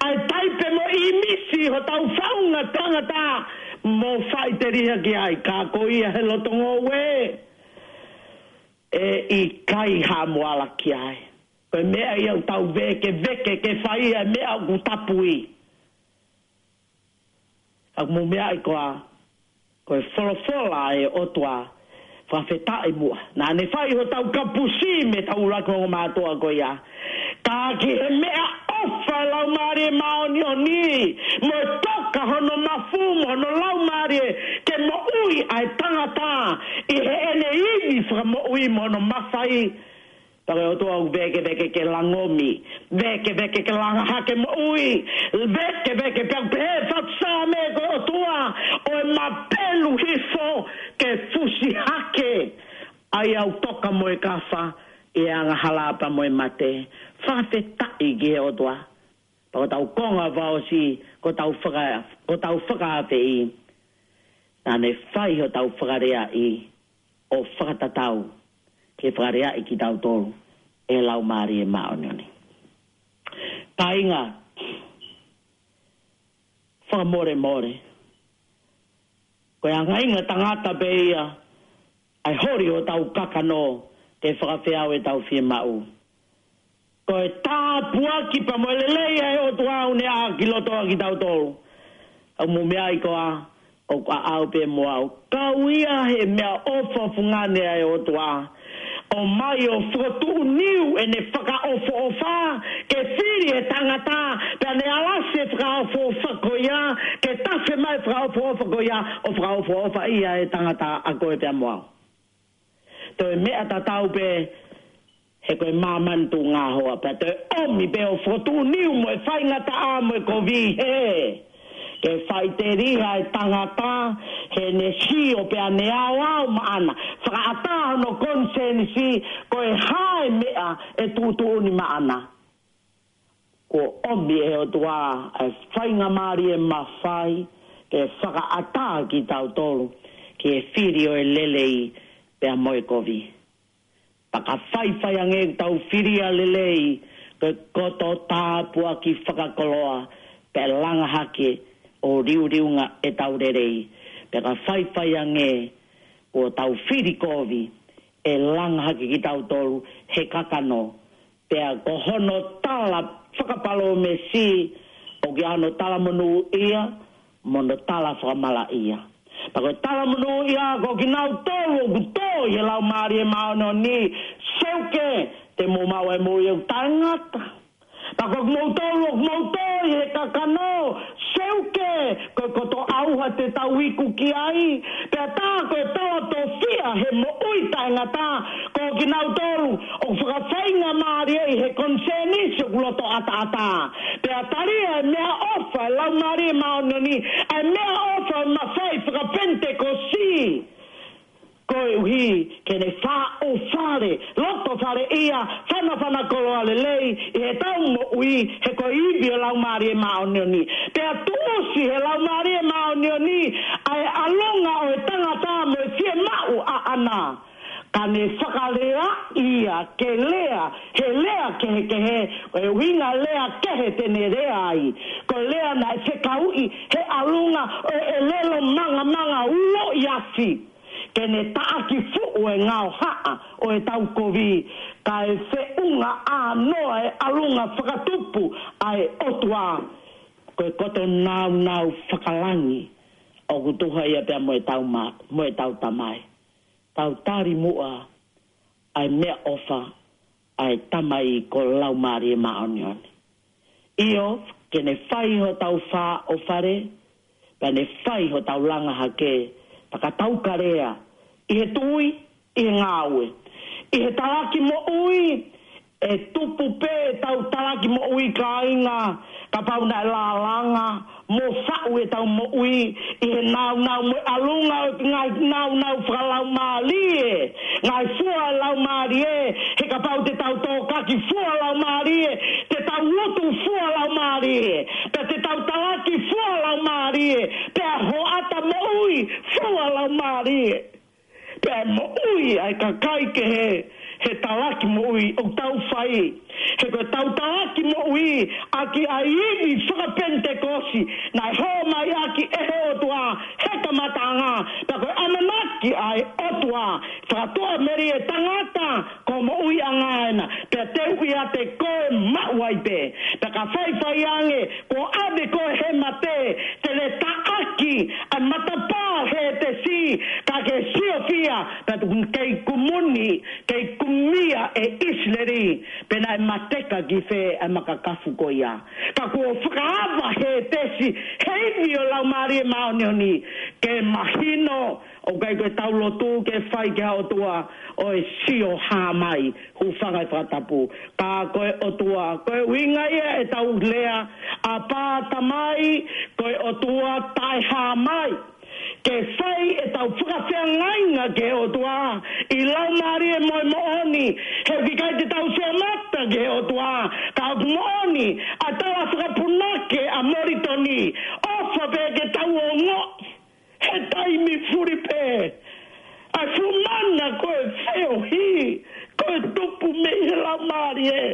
ʻa e taipe mo e ʻīmisi hotau faʻunga tangata, mo faʻiteliha ki ai, ka ko ia he loto ngoue, ʻe ʻikai ha moala ki ai. Ko e meʻa ia ʻoku tau vekeveke ke fai ʻa e meʻa ʻoku tapui. Ka mou meaʻi koā, ko e folofola ʻa e ʻOtua, fakafetaʻi muʻa. Naʻa ne fai hotau kapusi mei he ʻuluaki ongo mātuʻa ko ia. Ka ki he meʻaʻofa ʻa e Laumālie Māʻoniʻoni, mo e toka hono mafu mo hono Laumālie, ke moʻui ʻa e tangata ʻi heʻene ivi fakamoʻui mo hono mafai. Pea ko e ʻOtua ʻoku vēkeveke ke langomi, vēkeveke ke langa hake moʻui, vēkeveke pea pehē fakasaame ko e ʻOtua ʻo e mapelu hifo ke fusi hake ʻa ia ʻoku toka mo e kafa ʻi he angahala pea mo e mate. Fakafetaʻi ki he ʻOtua. Pea ko ʻetau konga fakaʻosi, ko ʻetau faka-, ko ʻetau fakaafeʻi. Naʻa ne fai hotau fakaleaʻi ʻo fakatatau ke fakaleaʻi kitautolu ʻe he Laumālie Māʻoniʻoni. Kāinga, fakamolemole, ko e angainga tangata pē ia ʻa e holi hotau kakano ke fakafeau ʻetau fiemaʻu. Ko e tāpuaki pea mo e lelei ʻa e ʻOtua ʻoku ne ʻā ki loto ʻa kitautolu. ʻOku mou meaʻi koā, ʻoku ʻaʻau pē mo au. Kau ia he meʻaʻofa fungani ʻa e ʻOtua. ʻOmai ʻo fokotuʻu niu ʻene fakaʻofoʻofa, ke fili e tangata, pea ne alasi e fakaʻofoʻofa ko ia, ke tafe mai e fakaʻofoʻofa ko ia, ʻo fakaʻofoʻofa ia e tangata ʻa koe pea mo au. Toe meʻa tatau pē, he ko e māmani tuʻunga hoa, pea toe ʻomi pē ʻo fokotuʻu niu mo e faingataʻa mo e kovi hē. Ke faʻiteliha e tangata, heʻene sio pea ne aoao maʻana, fakaʻatā hono konisēnisi, ko e hā e meʻa ʻe tuʻutuʻuni maʻana. Kuo ʻomi ʻe he ʻOtua ʻa e faingamālie mafai ke fakaʻatā kitautolu ki he fili ʻo e lelei pea mo e kovi. Pea ka faifai ange ʻetau fili ʻa e lelei, ko e koto tāpuaki fakakoloa, pea langa hake ʻo liuliunga ʻetau lelei. Pea ka faifai ange kuo tau fili kovi, ʻe langa hake kitautolu he kakano, pea ko hono tala fakapalōmesi, ʻoku ʻi ai hono talamonūʻia, mo hono tala fakamalaʻia. Pea ko e talamonūʻia, ko kinautolu ʻoku tō ʻi he Laumālie Māʻoniʻoni, seuke, te mou maʻu ʻa e moʻui ʻoku taʻengata. Pea ko kimoutolu ʻoku mou tō ʻi he kakano, seuke, ko e koto ʻauha te tau iku ki ai, pea tā ko e tala tofiʻa he moʻui taʻengata, ko kinautolu ʻoku fakafaingamālieʻi he konisēnisi ʻoku loto ʻataʻatā. Pea talia e meʻaʻofa ʻa e Laumālie Māʻoniʻoni, ʻa e meʻaʻofa ʻo e mafai fakapenitekosi. Koeʻuhi ke ne faʻu fale, loto fale ia, fanafana koloa lelei, ʻi heʻetau moʻui, he ko e ivi ʻo e Laumālie Māʻoniʻoni. Pea tuʻusi ʻe he Laumālie Māʻoniʻoni ʻa e ʻalunga ʻo e tangata mo e fiemaʻu ʻaʻana. Ka ne fakalea ia ke lea, he lea kehekehe, ʻo e ʻuhinga lea kehe te ne lea ai. Ko e lea naʻe fekauʻi he ʻalunga ʻo e ʻelelo mangamanga uloʻi afi. Ke ne taʻaki fuʻu e ngaohaʻa ʻo ʻetau kovi, kae feʻunga ʻānoa e ʻalunga fakatupu ʻa e ʻOtua. Ko e koto nāunau fakalangi ʻoku tuha ia pea mo ʻetau ma-, mo ʻetau Tamai. Tau tali muʻa ʻa e meʻaʻofa ʻa e Tamai ko e Laumālie Māʻoniʻoni. ʻIo, ke ne fai hotau fā ʻo fale, pea ne fai hotau langa hake, pea ka tau kalea, ʻi he tui, ʻi he ngāue, ʻi he talaki moʻui, ʻe tupu pē ʻetau talaki moʻui kāinga, kapau naʻe lālanga mo faʻu ʻetau moʻui ʻi he nāunau mo e ʻalunga ʻo e ngaahi nāunau fakalaumālie, ngaahi fua laumālie, he kapau te tau tōkaki fua laumālie, te tau lotu fua laumālie, pea te tau talaki fua laumālie, pea hoʻata moʻui fua laumālie. Pea moʻui ʻa e kakai kehe he talaki moʻui ʻoku tau fai. He ko ʻetau talaki moʻui ʻaki ʻa e ivi fakapenitekosi naʻe hōmai ʻaki ʻe he ʻOtua he kamataʻanga. Pea ko e ʻamanaki ʻa e ʻOtua, fakatuʻamelie tangata ko e moʻuiʻanga ena. Pea te u ʻiate koe maʻu ai pē. Pea ka faifai ange kuo ʻave koe he mate, te ne taʻaki ʻa e matapā ʻo Hētesi, ka ke siofia, pea tuku kei kumuni, kei kumia ʻe ʻIsileli, pe naʻe mateka ki fē ʻa e makakafu ko ia. Ka kuo fakaava Hētesi, he ivi ʻo e Laumālie Māʻoniʻoni, ke mahino, ʻoku ʻikai ko ʻetau lotu ke fai ki ha ʻOtua ʻo e sio hā mai, hūfanga he fakatapu. Ka ko e ʻOtua, ko e ʻuhinga ia ʻetau lea, ʻApā Tamai, ko e ʻOtua taʻehā mai. Ke fai ʻetau fakafeangainga ki he ʻOtua ʻi he Laumālie mo e moʻoni, he ʻoku ʻikai te tau fie mata ki he ʻOtua, ka ʻoku moʻoni ʻa e tala fakapunake ʻa Molitoni, ʻofa pē ke tau ongoʻi he taimi fuli pē ʻa e fuʻu mana ko e feohi, ko e tupu mei he Laumālie.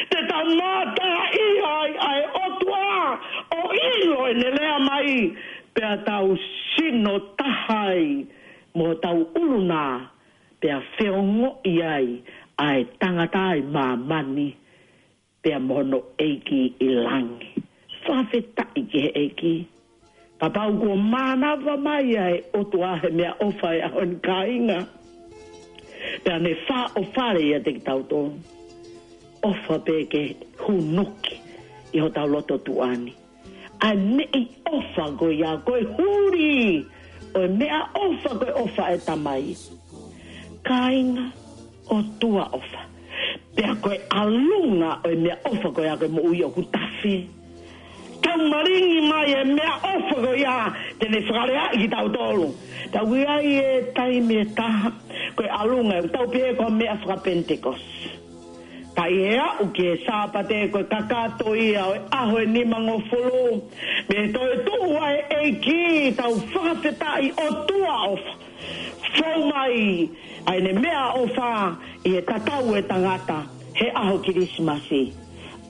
Te tau mātā ʻi ai ʻa e ʻOtua ʻo ʻilo ʻene lea mai, pea tau sino taha ai mo tau ʻulunā, pea feongoʻi ai ʻa e tangata ʻi māmani, pea mo hono ʻEiki ʻi langi. Fakafetaʻi ki he ʻEiki. Kapau kuo mānava mai ʻa e ʻOtua he meʻaʻofa he ʻaho ni kāinga, pea ne fāʻofale ʻiate kitautolu, ʻofa pē ke hunuki ʻi hotau loto tuʻa ni ʻa e meʻaʻofa ko ia, ko e huli ʻo e meʻaʻofa, ko e ʻofa ʻa e Tamai. Kāinga, ʻOtua ʻofa. Pea ko e ʻalunga ʻo e meʻaʻofa ko ia ko e moʻui ʻoku tafe. Tau malingi mai e meʻaʻofa ko ia te ne fakaleaʻi kitautolu. Tau ʻi ai e taimi ʻe taha, ko e ʻalunga ʻoku tau pehē ko e meʻa fakapenitekosi. Ka ʻi he aʻu ki he Sāpate ko e kakato ia ʻo e ʻaho ʻe nimangofulu mei he toetuʻu ʻa e ʻEiki, tau fakafetaʻi, ʻOtua ʻofa. Fou mai ʻa ʻene meʻaʻofa ʻi he tatau ʻo e tangata he ʻaho Kilisimasi.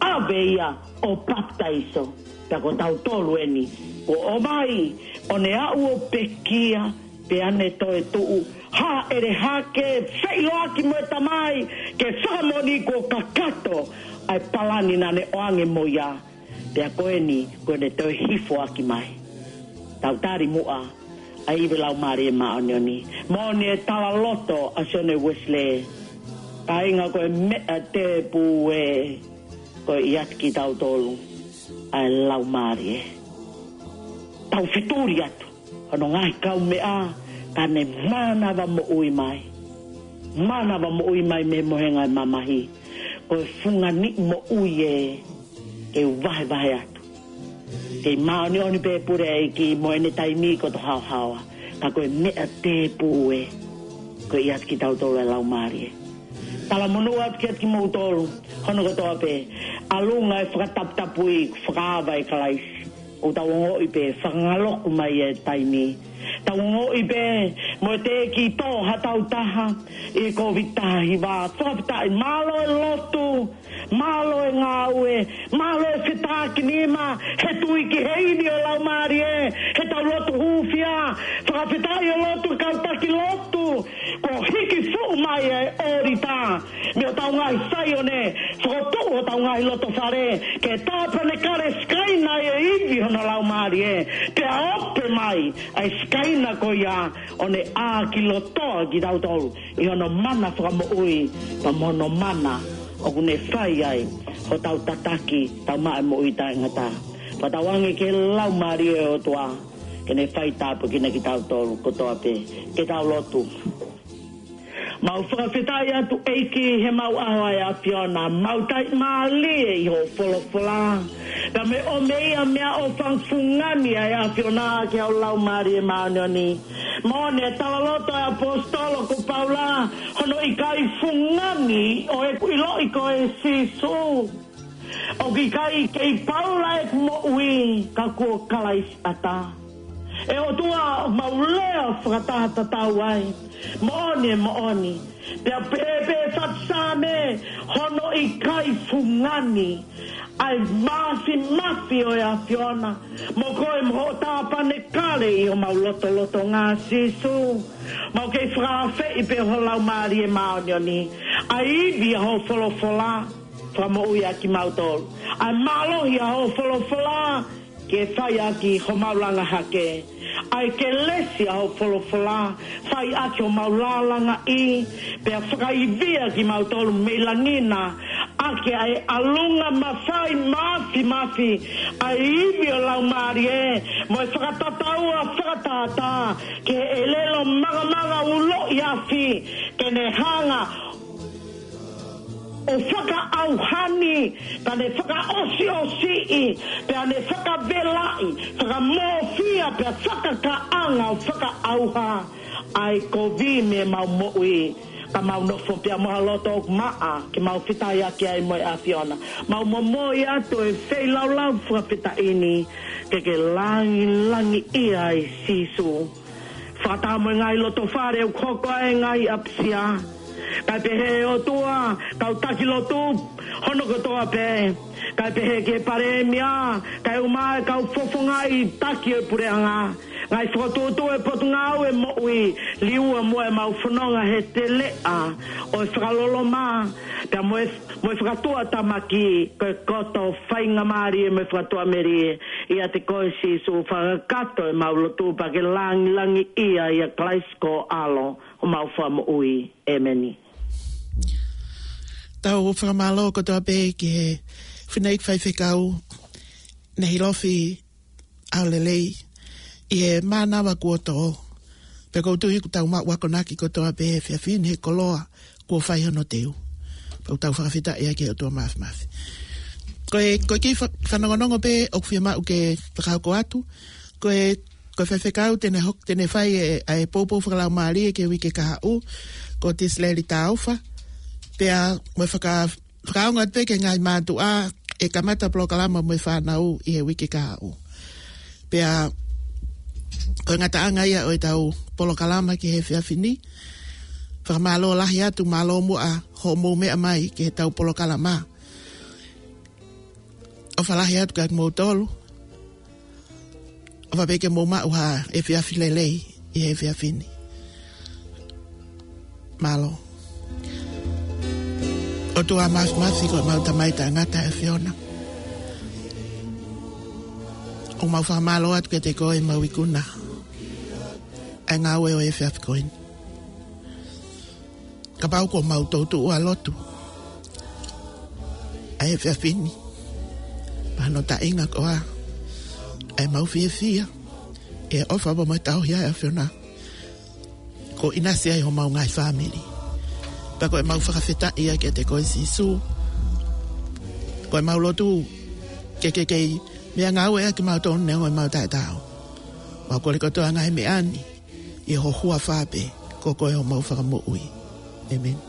ʻAve ia ʻo papitaiso, pea ko tautolu eni kuo ʻomai, ʻo ne aʻu ʻo pekia, pea ne toetuʻu, hāʻele hake, feʻiloaki mo e Tamai, ke fakamoʻoni kuo kakato ʻa e palani naʻa ne ʻoange mo ia. Pea ko eni, kuo ne toe hifoaki mai. Tau tali muʻa ʻa e ivi ʻa e Laumālie Māʻoniʻoni. Moʻoni e talaloto ʻa Sione Uesilē, kāinga, ko e meʻa tēpū ē, ko e ʻiate kitautolu ʻa e Laumālie. Tau fetuli atu hono ngaahi kaumeʻa, ka ne mānava moʻui mai. Mānava moʻui mai mei he mohenga ʻo e mamahi. Ko e fungani moʻui ē, ke u vahevahe atu. Kei māʻoniʻoni pē pule ʻa e ʻEiki mo ʻene taimi kotoa haohaoa. Ka ko e meʻa tēpū ē, ko e ʻiate kitautolu ʻa e Laumālie. Talamonū atu kiate kimoutolu hono kotoa pē, ʻalunga e fakataputapui, fakaava ʻe Kalaisi. ʻOku tau ongoʻi pē, fakangaloku mai e taimi. Tau ongoʻi pē mo e teʻeki tō ha taha ʻi he Kōviti taha hiva. Fakafetaʻi, mālō e lotu, mālō e ngāue, mālō e fetakinima, he tui ki he ivi ʻo e Laumālie, he tau lotu hūfia. Fakafetaʻi, ʻo lotu, kau taki lotu, kuo hiki fuʻu mai e ʻōlita mei hotau ngaahi Saione, fokotuʻu hotau ngaahi lotofale, ke tāpanekale, sikaina e ivi hono Laumālie, pea ope mai ʻa e sikaina ko ia, ʻo ne ʻākilotoa kitautolu ʻi hono mana fakamoʻui, pea mo hono mana ʻoku ne fai ai hotau tataki, tau maʻu e moʻui taʻengata. Pea tau ʻoange ki he Laumālie ʻo e ʻOtua ke ne fai tāpuekina kitautolu kotoa pē. Ke tau lotu. Mau fakafetaʻi atu ʻEiki he mau ʻaho ʻa e ʻAfiona, mau taʻimālie ʻi hoʻo folofola. Ka me ʻomi ia meʻaʻofa fungani ʻa e ʻAfiona ki he Laumālie Māʻoniʻoni. Moʻoni e talaloto ʻa e ʻaposetolo ko Paula, hono ʻikai fungani ʻo ʻeku ʻiloʻi koe Sīsū. ʻOku ʻikai kei Paula ʻeku moʻui, ka ko Kalaisi ʻatā. ʻE ʻOtua, mau lea fakataha tatau ai. Moʻoni, moʻoni. Pea pehē pē fatu Saame, hono ʻikai fungani ʻa e māfimafi ʻo e ʻAfiona mo koe mo hoʻo tāpanekale ʻi homau lotolotonga Sīsū. Mau kei fakaafeʻi pē ho Laumālie Māʻoniʻoni, ʻa e ivi ʻa hoʻo folofola, fakamoʻui ʻa kimautolu. ʻA e mālohi ʻa hoʻo folofola, ke fai ʻaki homau langa hake. ʻa e kelesi ʻa hoʻo folofola, fai ʻaki homau lālangaʻi, pea fakaivia kimautolu mei langi na, ʻaki ʻa e ʻalunga mafai mafimafi, ʻa e ivi ʻo e Laumālie, mo e fakatataua fakatātā, ki he ʻelelo mangamanga ulo ʻi afi, ke ne hanga ʻo fakaʻauhani, pea ne fakaʻosiʻosiʻi, pea ne fakavelaʻi, fakamofia, pea fakakaʻanga ʻo fakaʻauha ʻa e kovi mei heʻemau moʻui, ka mau nofo pea mo ha loto ʻoku maʻa, ke mau fetaulaki ai mo e ʻAfiona. Mau momoi atu e feilaulau fakafetaʻi ni, ke ke langilangiʻia ai Sīsū. Fakataha mo e ngaahi loto fale ʻoku hoko ai e ngaahi ʻapisia. Kae pehē ʻOtua, kau taki lotu, hono kotoa pē. Kae pehē ki he palēmia, kae ʻumaʻā e kau fofongaʻi taki ʻo e puleʻanga. Ngaahi fokotuʻutuʻu ʻo e Potungāue Moʻui, liua muʻa ʻemau fononga he teleʻa ʻo e fakaloloma, pea mo e, mo e fakatuʻatamaki, ko e koto faingamālie mo e fakatuʻamelie, ʻiate koe Sīsū fakakakato ʻemau lotu pea ke langilangiʻia ʻia Kalaisi ko ho ʻAlo, homau Fakamoʻui. ʻĒmeni. Tau fakamālō kotoa pē ki he fineʻeiki faifekau, Nehilofi ʻAolelei, ʻi he mānava kuo tō. Pea ʻoku ou tui ʻoku tau maʻu akonaki kotoa pē he efiafi ni he koloa kuo fai hono teu. Pea ʻoku tau fakafetaʻi ai ki he ʻOtua Mafimafi. Ko e, ko e kiʻi fa-, fanongonongo pē ʻoku fiemaʻu ke fakahoko atu. Ko e, ko e faifekau te ne hok-, te ne fai e, ʻa e poupou fakalaumālie ki he uike kahaʻu, ko Tisileli Taufa. Pea mo e faka-, fakaongo atu pē ki he ngaahi mātuʻa ʻe kamata polokalama mo e fānau ʻi he uike kahaʻu. Pea ko e ngataʻanga ia ʻo ʻetau polokalama ki he efiafi ni. Fakamālō lahi atu, mālō muʻa hoʻomou meʻa mai ki heʻetau polokalama. ʻOfa lahi atu kiate kimoutolu. ʻOfa pē ke mou maʻu ha efiafi lelei ʻi he efiafi ni. Mālō. ʻOtua Mafimafi, ko ʻemau Tamai taʻengata ʻa e ʻAfiona, ʻoku mau fakamālō atu kiate koe ʻemau ikuna ʻa e ngāue ʻo e efiafi ko eni. Kapau kuo mau toutou ʻalu atu ʻa e efiafi ni, pea ko hono taʻinga koā ʻa ʻemau fiefia, ʻi he ʻofa pea mo e tauhi ʻa e ʻAfiona, kuo ʻinasi ai homau ngaahi fāmili. Pea ko ʻemau fakafetaʻi ia kiate koe Sīsū. Ko ʻemau lotu ke ke kei meʻangāueʻaki kimautolu neongo ʻemau taʻetaau. Mau kole kotoa e ngaahi meʻa ni ʻi ho huafa pē, ko koe homau Fakamoʻui. ʻĒmeni.